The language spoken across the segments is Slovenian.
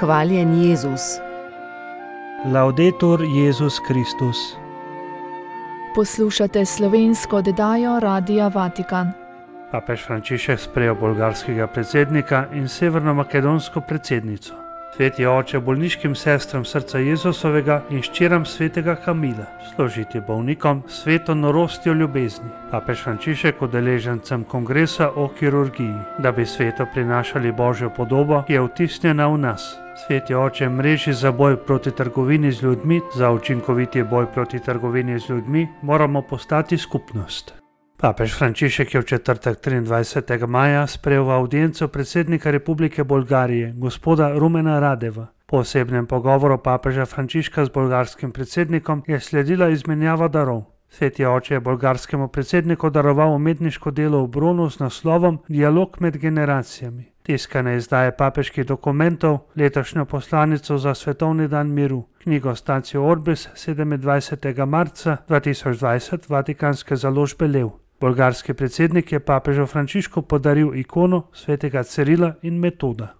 Hvaljen Jezus. Laudetur Jezus Kristus. Poslušate slovensko oddajo Radia Vatikan. Papež Frančišek sprejel bolgarskega predsednika in severnomakedonsko predsednico. Sveti oče bolniškim sestram srca Jezusovega in hčeram svetega Kamila, služiti bolnikom sveto norostjo ljubezni. Papež Frančišek udeležencem kongresa o kirurgiji, da bi svetu prinašali Božjo podobo, ki je vtisnjena v nas. Sveti oče mreži za boj proti trgovini z ljudmi, za učinkoviti boj proti trgovini z ljudmi moramo postati skupnost. Papež Frančišek je v četrtek 23. maja sprejel v avdienco predsednika Republike Bolgarije, gospoda Rumena Radeva. Po osebnem pogovoru papeža Frančiška z bolgarskim predsednikom je sledila izmenjava darov. Sveti oče je bolgarskemu predsedniku daroval umetniško delo v bronu z naslovom Dialog med generacijami. Tiskane izdaje papeških dokumentov, letošnjo poslanico za svetovni dan miru, knjigo Statio Orbis 27. marca 2020 Vatikanske založbe Lev. Bolgarski predsednik je papežu Frančišku podaril ikono svetega Cirila in Metoda.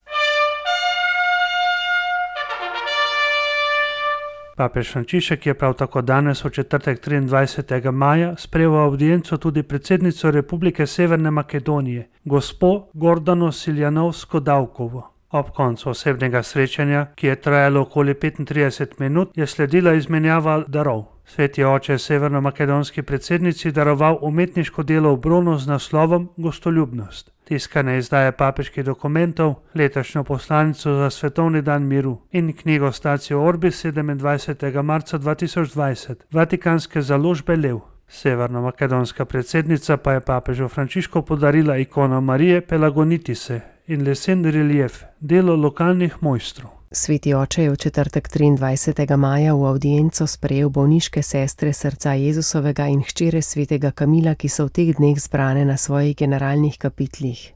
Papež Frančišek je prav tako danes v četrtek 23. maja sprejel v avdienco tudi predsednico Republike Severne Makedonije, gospo Gordano Siljanovsko-Davkovo. Ob koncu osebnega srečanja, ki je trajalo okoli 35 minut, je sledila izmenjava darov. Sveti oče je severnomakedonski predsednici daroval umetniško delo v bronu z naslovom Gostoljubnost. Tiskane izdaje papeških dokumentov, letošnjo poslanico za svetovni dan miru in knjigo Statio Orbis 27. marca 2020 Vatikanske založbe Lev. Severnomakedonska predsednica pa je papežu Frančišku podarila ikono Marije Pelagonitise in lesen relief, delo lokalnih mojstrov. Sveti oče je v četrtek 23. maja v avdienco sprejel bolniške sestre srca Jezusovega in hčere svetega Kamila, ki so v teh dneh zbrane na svojih generalnih kapitlih.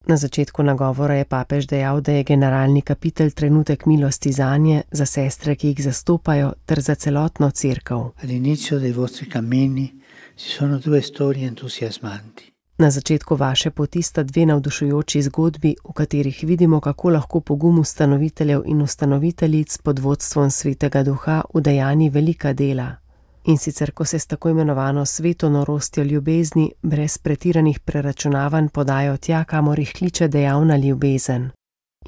Na začetku nagovora je papež dejal, da je generalni kapitel trenutek milosti zanje, za sestre, ki jih zastopajo, ter za celotno cerkev. All'inizio dei vostri cammini ci sono due storie entusiasmanti. Na začetku vaše poti sta dve navdušujoči zgodbi, v katerih vidimo, kako lahko pogum ustanoviteljev in ustanoviteljic pod vodstvom Svetega Duha udejani velika dela. In sicer, ko se s tako imenovano sveto norostjo ljubezni brez pretiranih preračunavanj podajo tja, kamor jih kliče dejavna ljubezen.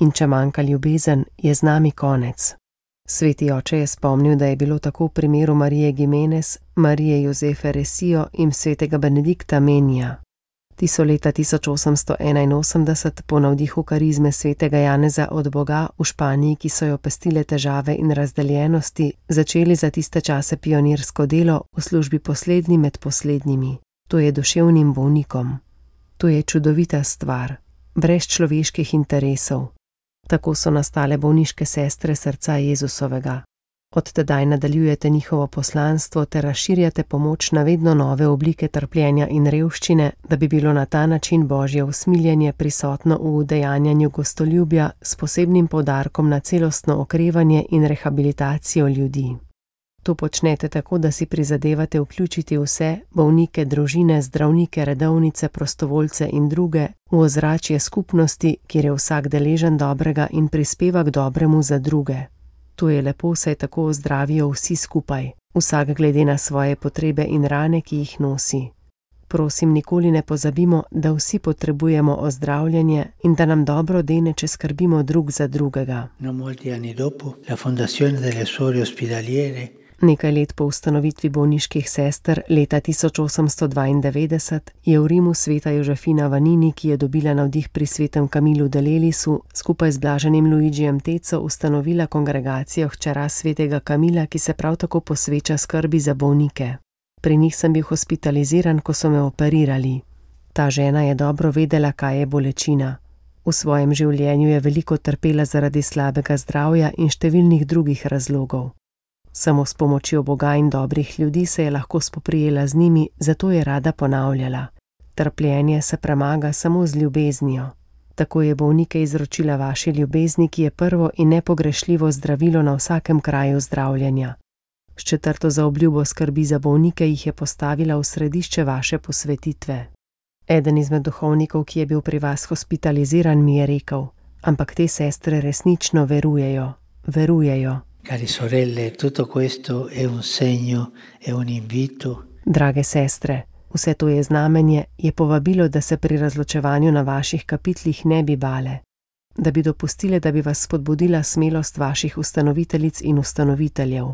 In če manjka ljubezen, je z nami konec. Sveti oče je spomnil, da je bilo tako v primeru Marije Gimenez, Marije Jozefe Resijo in svetega Benedikta Menija. Ti so leta 1881 po navdihu karizme svetega Janeza od Boga v Španiji, ki so jo pestile težave in razdeljenosti, začeli za tiste čase pionirsko delo v službi poslednji med poslednjimi. To je duševnim bolnikom. To je čudovita stvar, brez človeških interesov. Tako so nastale bolniške sestre srca Jezusovega. Od tedaj nadaljujete njihovo poslanstvo ter razširjate pomoč na vedno nove oblike trpljenja in revščine, da bi bilo na ta način Božje usmiljenje prisotno v udejanjanju gostoljubja s posebnim poudarkom na celostno okrevanje in rehabilitacijo ljudi. To počnete tako, da si prizadevate vključiti vse, bolnike, družine, zdravnike, redovnice, prostovoljce in druge, v ozračje skupnosti, kjer je vsak deležen dobrega in prispeva k dobremu za druge. To je lepo, saj tako ozdravijo vsi skupaj, vsak glede na svoje potrebe in rane, ki jih nosi. Prosim, nikoli ne pozabimo, da vsi potrebujemo ozdravljanje in da nam dobro dene, če skrbimo drug za drugega. Non molti anni dopo, la fondazione delle suore ospedaliere. Nekaj let po ustanovitvi bolniških sester leta 1892 je v Rimu sveta Jožefina Vanini, ki je dobila navdih pri svetem Kamilu de Lelisu, skupaj z blaženim Luigijem Teco ustanovila kongregacijo hčera svetega Kamila, ki se prav tako posveča skrbi za bolnike. Pri njih sem bil hospitaliziran, ko so me operirali. Ta žena je dobro vedela, kaj je bolečina. V svojem življenju je veliko trpela zaradi slabega zdravja in številnih drugih razlogov. Samo s pomočjo Boga in dobrih ljudi se je lahko spoprijela z njimi, zato je rada ponavljala. Trpljenje se premaga samo z ljubeznijo. Tako je bolnike izročila vaši ljubezni, ki je prvo in nepogrešljivo zdravilo na vsakem kraju zdravljenja. S četrto zaobljubo skrbi za bolnike jih je postavila v središče vaše posvetitve. Eden izmed duhovnikov, ki je bil pri vas hospitaliziran, mi je rekel: Ampak te sestre resnično verujejo. Cari sorelle, tutto questo è un segno, è un invito Drage sestre, vse to je znamenje, je povabilo, da se pri razločevanju na vaših kapitlih ne bi bale, da bi dopustile, da bi vas spodbudila smelost vaših ustanoviteljic in ustanoviteljev,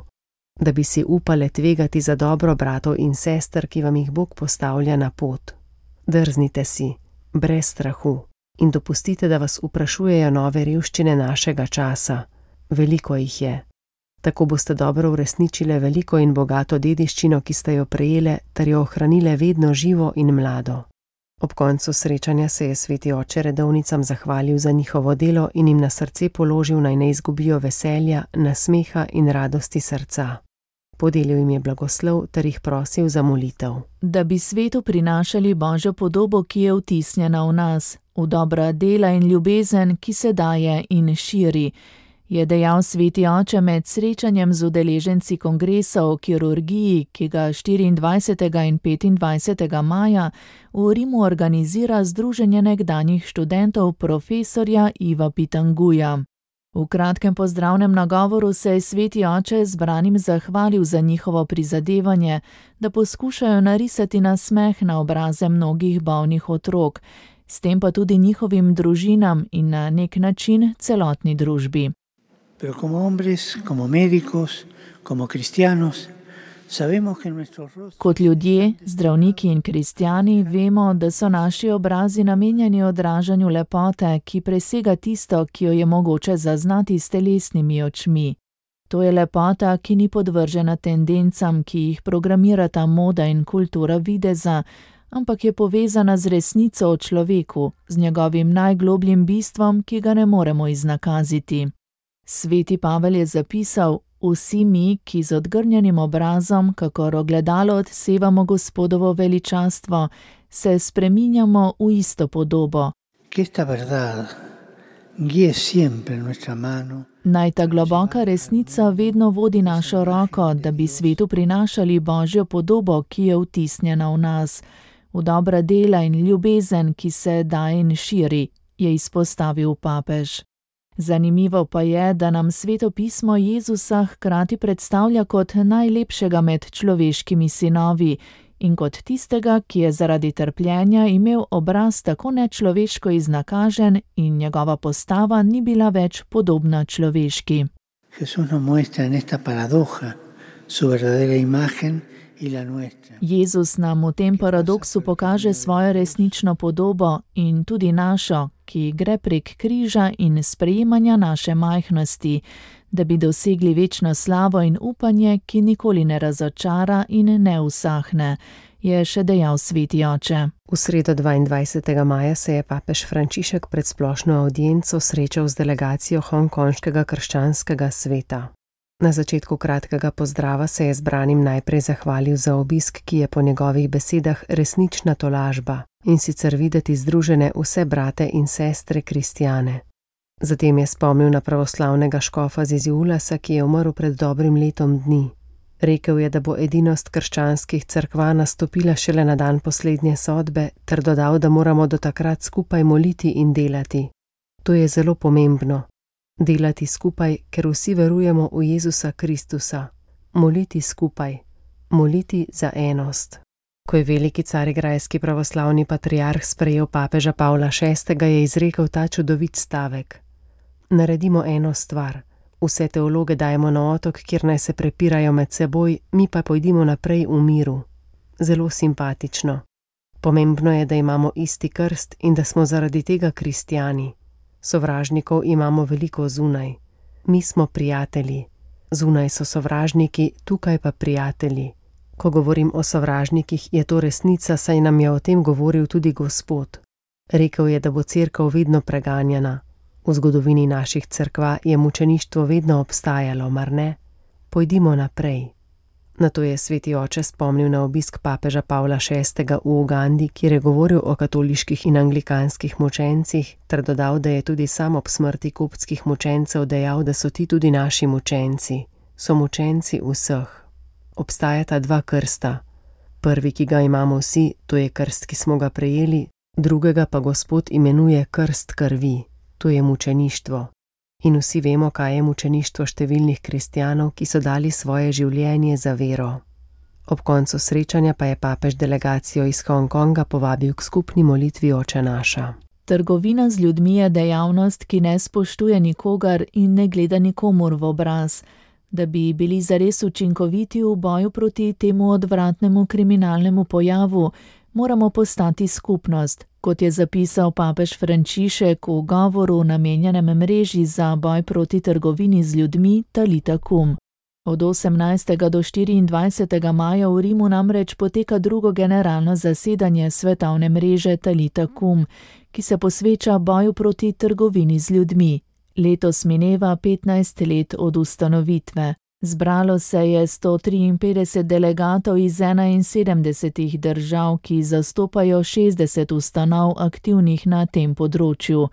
da bi si upale tvegati za dobro bratov in sester, ki vam jih Bog postavlja na pot. Drznite si, brez strahu, in dopustite, da vas vprašujejo nove revščine našega časa. Veliko jih je. Tako boste dobro uresničile veliko in bogato dediščino, ki ste jo prejele, ter jo ohranile vedno živo in mlado. Ob koncu srečanja se je sveti oče redovnicam zahvalil za njihovo delo in jim na srce položil, naj ne izgubijo veselja, nasmeha in radosti srca. Podelil jim je blagoslov ter jih prosil za molitev. Da bi svetu prinašali Božjo podobo, ki je vtisnjena v nas, v dobra dela in ljubezen, ki se daje in širi, je dejal sveti oče med srečanjem z udeleženci kongresa o kirurgiji, ki ga 24. in 25. maja v Rimu organizira Združenje nekdanjih študentov profesorja Iva Pitanguja. V kratkem pozdravnem nagovoru se je sveti oče zbranim zahvalil za njihovo prizadevanje, da poskušajo narisati nasmeh na obraze mnogih bolnih otrok, s tem pa tudi njihovim družinam in na nek način celotni družbi. Pero como hombres, como médicos, como cristianos, sabemos que nuestros rostros... Kot ljudje, zdravniki in kristjani vemo, da so naši obrazi namenjeni odražanju lepote, ki presega tisto, ki jo je mogoče zaznati s telesnimi očmi. To je lepota, ki ni podvržena tendencam, ki jih programirata moda in kultura videza, ampak je povezana z resnico o človeku, z njegovim najglobljim bistvom, ki ga ne moremo iznakaziti. Sveti Pavel je zapisal: vsi mi, ki z odgrnjenim obrazom, kakor ogledalo odsevamo Gospodovo veličastvo, se spreminjamo v isto podobo. Naj ta globoka resnica vedno vodi našo roko, da bi svetu prinašali Božjo podobo, ki je vtisnjena v nas, v dobra dela in ljubezen, ki se daje in širi, je izpostavil papež. Zanimivo pa je, da nam Sveto pismo Jezusa hkrati predstavlja kot najlepšega med človeškimi sinovi in kot tistega, ki je zaradi trpljenja imel obraz tako nečloveško iznakažen in njegova postava ni bila več podobna človeški. Jezus nam v tem paradoksu pokaže svojo resnično podobo in tudi našo, ki gre prek križa in sprejemanja naše majhnosti, da bi dosegli večno slavo in upanje, ki nikoli ne razočara in ne usahne, je še dejal sveti oče. V sredo 22. maja se je papež Frančišek pred splošno avdienco srečal z delegacijo hongkonškega krščanskega sveta. Na začetku kratkega pozdrava se je zbranim najprej zahvalil za obisk, ki je po njegovih besedah resnična tolažba, in sicer videti združene vse brate in sestre kristjane. Zatem je spomnil na pravoslavnega škofa Ziziulasa, ki je umrl pred dobrim letom dni. Rekel je, da bo edinost krščanskih cerkva nastopila šele na dan poslednje sodbe, ter dodal, da moramo do takrat skupaj moliti in delati. To je zelo pomembno. Delati skupaj, ker vsi verujemo v Jezusa Kristusa. Moliti skupaj. Moliti za enost. Ko je veliki carigrajski pravoslavni patriarh sprejel papeža Pavla VI., je izrekel ta čudovit stavek. Naredimo eno stvar. Vse teologe dajemo na otok, kjer naj se prepirajo med seboj, mi pa pojdimo naprej v miru. Zelo simpatično. Pomembno je, da imamo isti krst in da smo zaradi tega kristjani. Sovražnikov imamo veliko zunaj. Mi smo prijatelji. Zunaj so sovražniki, tukaj pa prijatelji. Ko govorim o sovražnikih, je to resnica, saj nam je o tem govoril tudi Gospod. Rekel je, da bo cerkev vedno preganjana. V zgodovini naših cerkva je mučeništvo vedno obstajalo, mar ne? Pojdimo naprej. Nato je sveti oče spomnil na obisk papeža Pavla VI. V Ugandi, kjer je govoril o katoliških in anglikanskih mučencih, ter dodal, da je tudi sam ob smrti koptskih mučencev dejal, da so ti tudi naši mučenci. So mučenci vseh. Obstajata dva krsta. Prvi, ki ga imamo vsi, to je krst, ki smo ga prejeli, drugega pa Gospod imenuje krst krvi. to je mučeništvo. In vsi vemo, kaj je mučeništvo številnih kristjanov, ki so dali svoje življenje za vero. Ob koncu srečanja pa je papež delegacijo iz Hongkonga povabil k skupni molitvi Oče naša. Trgovina z ljudmi je dejavnost, ki ne spoštuje nikogar in ne gleda nikomur v obraz. Da bi bili zares učinkoviti v boju proti temu odvratnemu kriminalnemu pojavu, moramo postati skupnost, kot je zapisal papež Frančišek v govoru namenjenem mreži za boj proti trgovini z ljudmi Talita Kum. Od 18. do 24. maja v Rimu namreč poteka drugo generalno zasedanje svetovne mreže Talita Kum, ki se posveča boju proti trgovini z ljudmi. Letos mineva 15 let od ustanovitve. Zbralo se je 153 delegatov iz 71 držav, ki zastopajo 60 ustanov aktivnih na tem področju.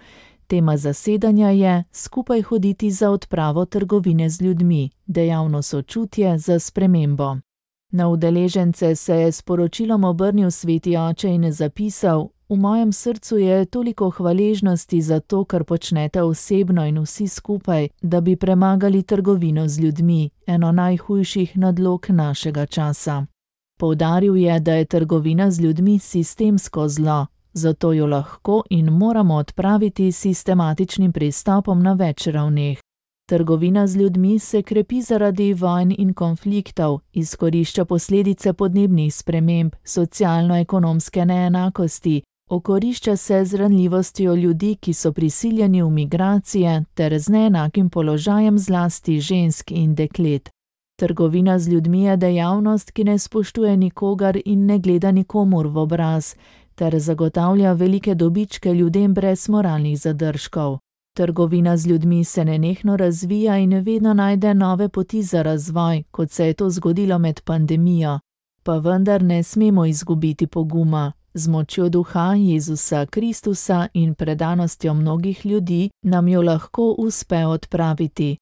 Tema zasedanja je Skupaj hoditi za odpravo trgovine z ljudmi, dejavno sočutje za spremembo. Na udeležence se je s poročilom obrnil Sveti Oče in zapisal: V mojem srcu je toliko hvaležnosti za to, kar počnete osebno in vsi skupaj, da bi premagali trgovino z ljudmi, eno najhujših nadlog našega časa. Poudaril je, da je trgovina z ljudmi sistemsko zlo, zato jo lahko in moramo odpraviti s sistematičnim pristopom na več ravneh. Trgovina z ljudmi se krepi zaradi vojn in konfliktov, izkorišča posledice podnebnih sprememb, socialno-ekonomske neenakosti, okorišča se z ranljivostjo ljudi, ki so prisiljeni v migracije, ter z neenakim položajem zlasti žensk in deklet. Trgovina z ljudmi je dejavnost, ki ne spoštuje nikogar in ne gleda nikomur v obraz, ter zagotavlja velike dobičke ljudem brez moralnih zadržkov. Trgovina z ljudmi se nenehno razvija in vedno najde nove poti za razvoj, kot se je to zgodilo med pandemijo. Pa vendar ne smemo izgubiti poguma. Z močjo duha Jezusa Kristusa in predanostjo mnogih ljudi nam jo lahko uspe odpraviti.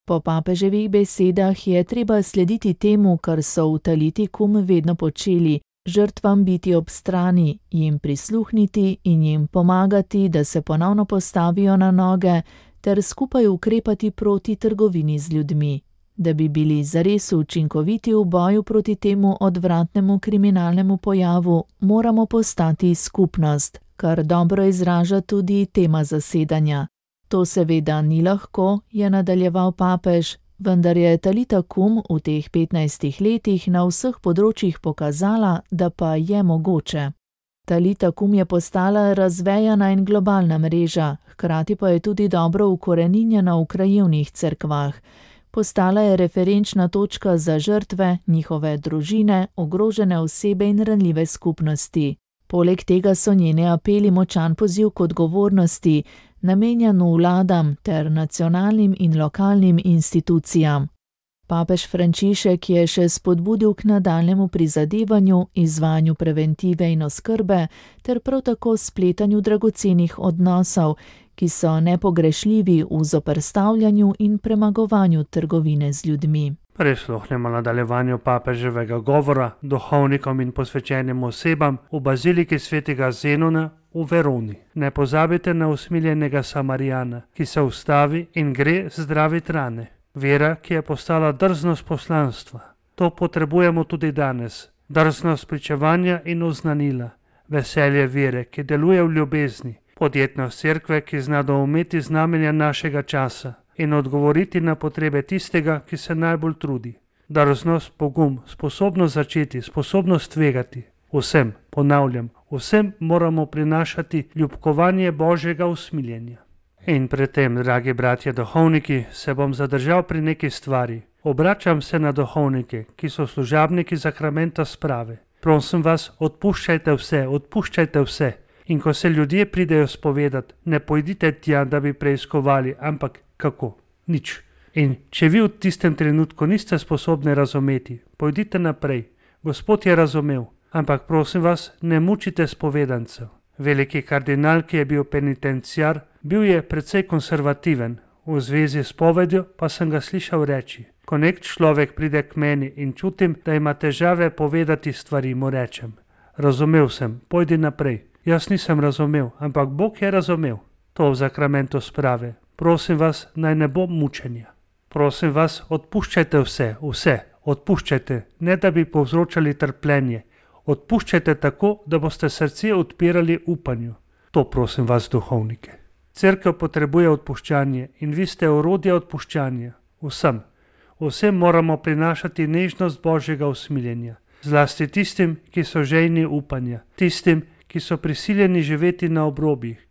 Po papeževih besedah je treba slediti temu, kar so v Taliti Kum vedno počeli, žrtvam biti ob strani, jim prisluhniti in jim pomagati, da se ponovno postavijo na noge, ter skupaj ukrepati proti trgovini z ljudmi. Da bi bili zares učinkoviti v boju proti temu odvratnemu kriminalnemu pojavu, moramo postati skupnost, kar dobro izraža tudi tema zasedanja. To seveda ni lahko, je nadaljeval papež, vendar je Talita Kum v teh 15 letih na vseh področjih pokazala, da pa je mogoče. Talita Kum je postala razvejana in globalna mreža, hkrati pa je tudi dobro ukoreninjena v krajevnih cerkvah. Postala je referenčna točka za žrtve, njihove družine, ogrožene osebe in ranljive skupnosti. Poleg tega so njene apeli močan poziv k odgovornosti, namenjen vladam ter nacionalnim in lokalnim institucijam. Papež Frančišek je še spodbudil k nadaljnjemu prizadevanju, izvajanju preventive in oskrbe ter prav tako spletanju dragocenih odnosov, ki so nepogrešljivi v zoperstavljanju in premagovanju trgovine z ljudmi. Prisluhnemo nadaljevanju papeževega govora duhovnikom in posvečenim osebam v baziliki svetega Zenona v Veroni. Ne pozabite na usmiljenega Samarijana, ki se ustavi in gre zdravit rane. Vera, ki je postala drznost poslanstva. To potrebujemo tudi danes. Drznost pričevanja in oznanila. Veselje vere, ki deluje v ljubezni. Podjetnost cerkve, ki zna doumeti znamenja našega časa in odgovoriti na potrebe tistega, ki se najbolj trudi. Drznost, pogum, sposobnost začeti, sposobnost tvegati. Vsem, ponavljam, vsem moramo prinašati ljubkovanje Božjega usmiljenja. In pred tem, dragi bratje duhovniki, se bom zadržal pri neki stvari. Obračam se na duhovnike, ki so služabniki sakramenta sprave. Prosim vas, odpuščajte vse. In ko se ljudje pridejo spovedati, ne pojdite tja, da bi preiskovali, ampak kako? Nič. In če vi v tistem trenutku niste sposobni razumeti, pojdite naprej. Gospod je razumel, ampak prosim vas, ne mučite spovedancev. Veliki kardinal, ki je bil penitenciar, bil je precej konservativen. V zvezi s povedjo pa sem ga slišal reči: ko nek človek pride k meni in čutim, da ima težave povedati stvari, mu rečem: razumel sem, pojdi naprej. Jaz nisem razumel, ampak Bog je razumel. To v zakramentu sprave. Prosim vas, naj ne bo mučenja. Prosim vas, odpuščajte vse, odpuščajte, ne da bi povzročali trpljenje. Odpuščajte tako, da boste srce odpirali upanju. To prosim vas, duhovnike. Cerkev potrebuje odpuščanje in vi ste orodje odpuščanja. Vsem moramo prinašati nežnost Božjega usmiljenja. Zlasti tistim, ki so žejni upanja, tistim, ki so prisiljeni živeti na obrobjih,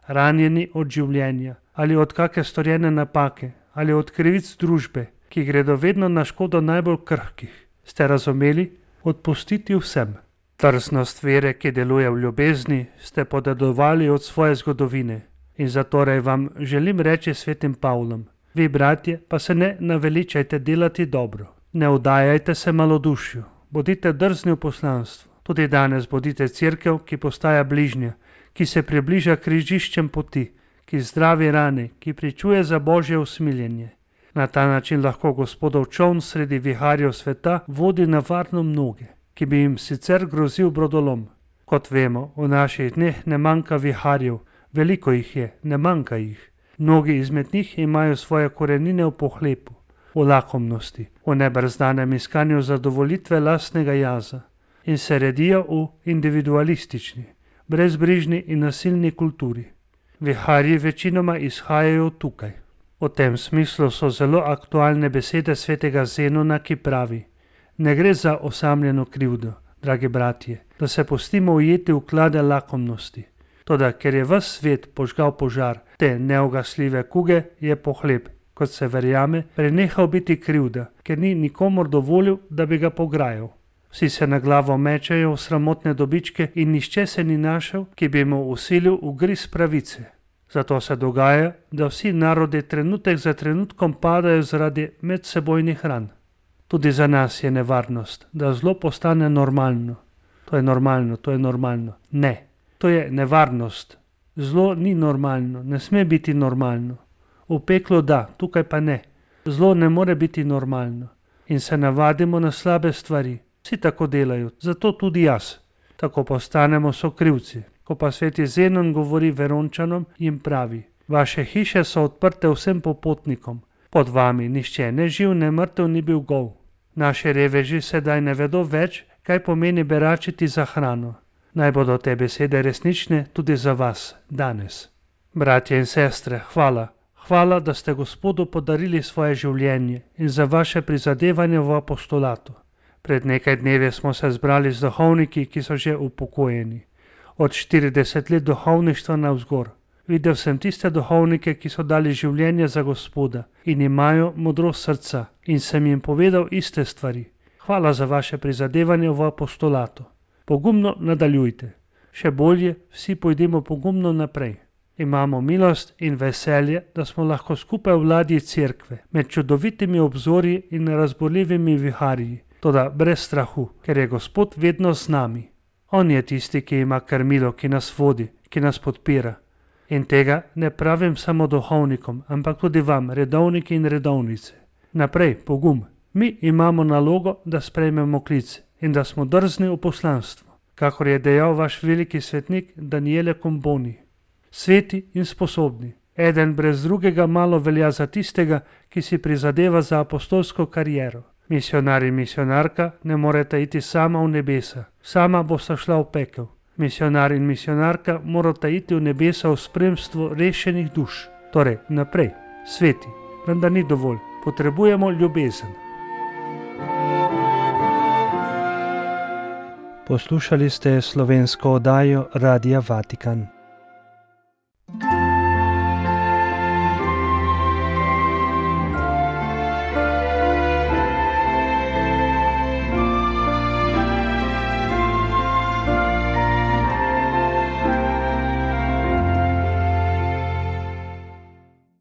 ranjeni od življenja ali od kake storjene napake ali od krivic družbe, ki gredo vedno na škodo najbolj krhkih. Ste razumeli? Odpustiti vsem. Drznost vere, ki deluje v ljubezni, ste podedovali od svoje zgodovine in zatorej vam želim reči svetim Pavlom. Vi, bratje, pa se ne naveličajte delati dobro. Ne vdajajte se malodušju. Bodite drzni v poslanstvu. Tudi danes bodite cerkev, ki postaja bližnja, ki se približa križiščem poti, ki zdravi rane, ki pričuje za Božje usmiljenje. Na ta način lahko Gospodov čoln sredi viharjev sveta vodi na varno mnoge, ki bi jim sicer grozil brodolom. Kot vemo, v naših dneh ne manjka viharjev, veliko jih je, ne manjka jih. Mnogi izmed njih imajo svoje korenine v pohlepu, v lakomnosti, v nebrzdanem iskanju zadovolitve lastnega jaza in se redijo v individualistični, brezbrižni in nasilni kulturi. Viharji večinoma izhajajo tukaj. V tem smislu so zelo aktualne besede svetega Zenona, ki pravi: ne gre za osamljeno krivdo, dragi bratje, da se pustimo ujeti v klade lakomnosti. Toda ker je ves svet požgal požar te neugasljive kuge, je pohleb, kot se verjame, prenehal biti krivda, ker ni nikomor dovolil, da bi ga pograjal. Vsi se na glavo mečejo v sramotne dobičke in nihče se ni našel, ki bi mu usilil ugriz pravice. Zato se dogaja, da vsi narodi trenutek za trenutkom padajo zaradi medsebojnih ran. Tudi za nas je nevarnost, da zlo postane normalno. To je normalno. Ne. To je nevarnost. Zlo ni normalno, ne sme biti normalno. V peklu da, tukaj pa ne. Zlo ne more biti normalno. In se navadimo na slabe stvari. Vsi tako delajo, zato tudi jaz. Tako postanemo sokrivci. Ko pa sveti Zenon govori Verončanom, jim pravi: vaše hiše so odprte vsem popotnikom. Pod vami nihče ne živ, ne mrtev ni bil gol. Naši reveži sedaj ne vedo več, kaj pomeni beračiti za hrano. Naj bodo te besede resnične tudi za vas danes. Bratje in sestre, hvala. Hvala, da ste Gospodu podarili svoje življenje in za vaše prizadevanje v apostolatu. Pred nekaj dnevi smo se zbrali z duhovniki, ki so že upokojeni. Od 40 let duhovništva navzgor. Videl sem tiste duhovnike, ki so dali življenje za Gospoda in imajo modrost srca, in sem jim povedal iste stvari. Hvala za vaše prizadevanje v apostolatu. Pogumno nadaljujte. Še bolje, vsi pojdimo pogumno naprej. Imamo milost in veselje, da smo lahko skupaj v ladji cerkve, med čudovitimi obzorji in razborljivimi viharji, toda brez strahu, ker je Gospod vedno z nami. On je tisti, ki ima krmilo, ki nas vodi, ki nas podpira. In tega ne pravim samo duhovnikom, ampak tudi vam, redovniki in redovnice. Naprej, pogum. Mi imamo nalogo, da sprejmemo klic in da smo drzni v poslanstvu, kakor je dejal vaš veliki svetnik Daniele Comboni. Sveti in sposobni. Eden brez drugega malo velja za tistega, ki si prizadeva za apostolsko kariero. Misionar in misionarka ne morete iti sama v nebesa, sama bosta šla v pekel. Misionar in misionarka morata iti v nebesa v spremstvu rešenih duš. Torej, naprej, sveti, vendar ni dovolj, potrebujemo ljubezen. Poslušali ste slovensko oddajo Radia Vatikan.